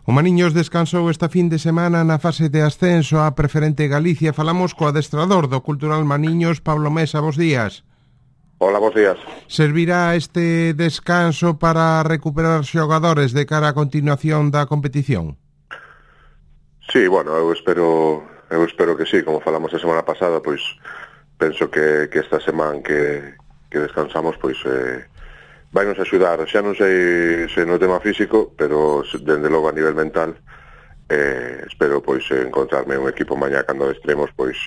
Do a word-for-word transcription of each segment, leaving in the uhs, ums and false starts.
O Maniños descansou esta fin de semana na fase de ascenso á Preferente Galicia. Falamos co adestrador do Cultural Maniños, Pablo Mesa. Bos días. Hola, bos días. Servirá este descanso para recuperar xogadores de cara á continuación da competición? Sí, bueno, eu espero eu espero que sí, como falamos a semana pasada, pois penso que, que esta semana que, que descansamos, pois eh, vai nos axudar, xa non sei se no tema físico, pero dende logo a nivel mental eh, espero pois encontrarme un equipo mañá cando extremos, pois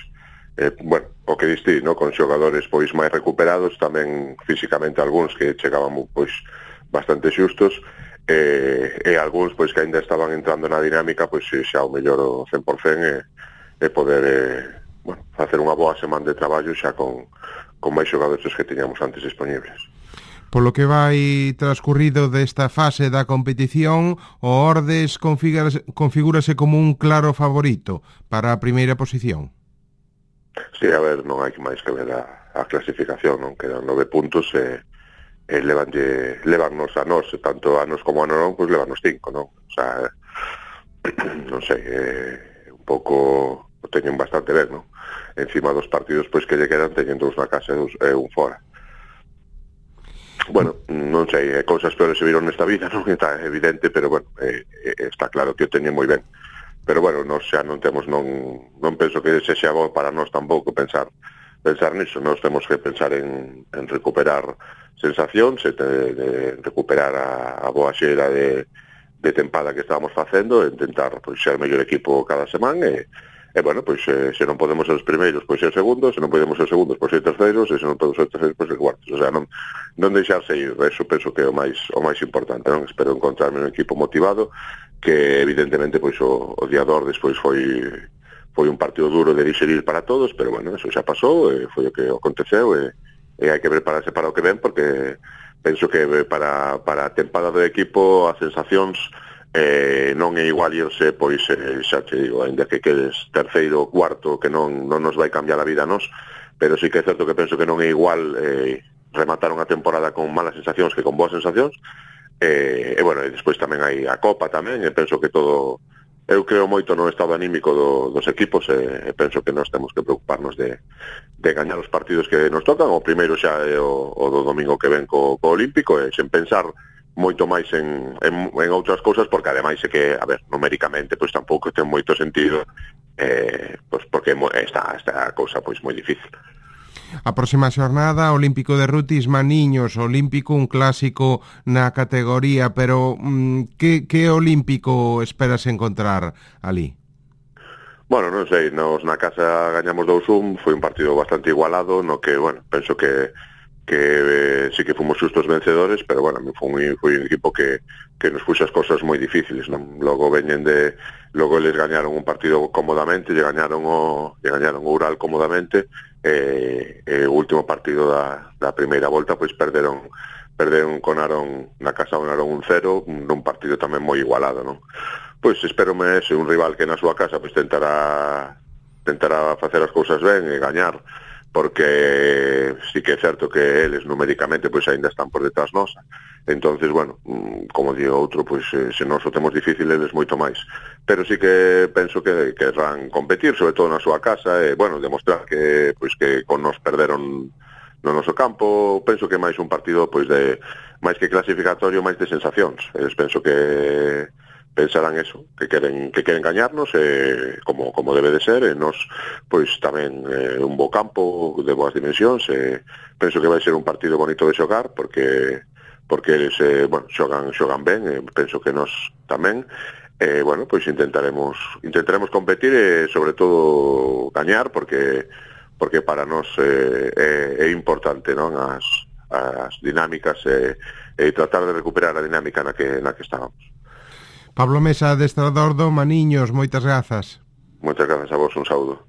eh, bueno, o que distí, no? Con xogadores pois máis recuperados, tamén físicamente algúns que chegaban pois bastante xustos, e, e algúns pois que ainda estaban entrando na dinámica, pois xa o mellor o cen por cen e, e poder eh, bueno, facer unha boa semana de traballo xa con, con máis xogadores que teñamos antes disponibles. Polo que vai transcurrido desta fase da competición, o Ordes configúrase, configúrase como un claro favorito para a primeira posición. Sí, a ver, non hai máis que ver a, a clasificación, non quedan nove puntos e, e levanlle, levannos a nós, tanto a nos como a non, pois levannos cinco, non? O sea, non sei, é un pouco, o teñen bastante ben, non? Encima dos partidos pois que lle quedan, teñen dous na casa e, dos, e un fora. Bueno, non sei, cousas peores se viron nesta vida, non está evidente, pero bueno, eh, está claro que o teñen moi ben. Pero bueno, nós xa non temos, non non penso que se xa bo para nós tampouco pensar pensar niso, nós temos que pensar en, en recuperar sensacións, de, de recuperar a, a boa xeira de, de tempada que estábamos facendo, e intentar pois, ser o mellor equipo cada semana, e E, bueno, pois, eh, se non podemos ser os primeiros, pois ser segundos, se non podemos ser segundos, pois ser terceiros, e se non podemos ser terceiros, pois ser cuartos. O sea, non, non deixarse ir, eso penso que é o máis, o máis importante, non? Espero encontrarme un equipo motivado, que evidentemente, pois, o, o día dos despois foi, foi un partido duro de digerir para todos, pero, bueno, eso xa pasou, e foi o que aconteceu, e, e hai que prepararse para o que ven, porque penso que para, para a tempada do equipo, as sensacións, Eh, non é igual irse, pois, eh, xa te digo, ainda que quedes terceiro ou cuarto, que non, non nos vai cambiar a vida a nos, pero sí que é certo que penso que non é igual eh, rematar unha temporada con malas sensacións que con boas sensacións, eh, e, bueno, e despois tamén hai a Copa tamén, e penso que todo, eu creo moito no estado anímico do, dos equipos, e, e penso que nós temos que preocuparnos de, de gañar os partidos que nos tocan. O primeiro xa é o, o do domingo que ven co, co Olímpico, e sen pensar moito máis en, en, en outras cousas, porque ademais é que, a ver, numéricamente pois tampouco ten moito sentido, eh, pois porque está esta cousa pois moi difícil. A próxima xornada, Olímpico de Rutis Maniños, Olímpico, un clásico na categoría, pero mm, que, que Olímpico esperas encontrar ali? Bueno, non sei, nos na casa gañamos dous un, foi un partido bastante igualado, no que, bueno, penso que que eh, sí que fomos xustos vencedores, pero bueno, foi, foi un equipo que, que nos puxo as cosas moi difíciles, non? Logo veñen de, logo eles gañaron un partido cómodamente, lle gañaron o, lle gañaron o Ural cómodamente, e, e o último partido da, da primeira volta, pois perderon, perderon con Arón, na casa con Arón un cero, nun partido tamén moi igualado, non? Pois espérome ese, un rival que na súa casa pois tentará, tentará facer as cousas ben e gañar, porque sí que é certo que eles numéricamente pois aínda están por detrás nosa. Entonces, bueno, como digo outro, pois se nós o temos difícil, eles moito máis. Pero sí que penso que querrán competir, sobre todo na súa casa, e, bueno, demostrar que pois que con nos perderon no noso campo. Penso que máis un partido pois de máis que clasificatorio, máis de sensacións. Eles penso que pensarán eso, que queren que queren gañarnos, eh, como como debe de ser, e nos pois tamén eh, un bo campo de boas dimensións, e penso que vai ser un partido bonito de xogar, porque porque eles eh, bueno, xogan xogan ben, e penso que nos tamén, e bueno, pois intentaremos intentaremos competir e sobre todo gañar, porque porque para nós eh, é, é importante, non, as as dinámicas e, e tratar de recuperar a dinámica na que na que estábamos. Pablo Mesa, adestrador do Maniños, moitas grazas. Moitas grazas a vos, un saúdo.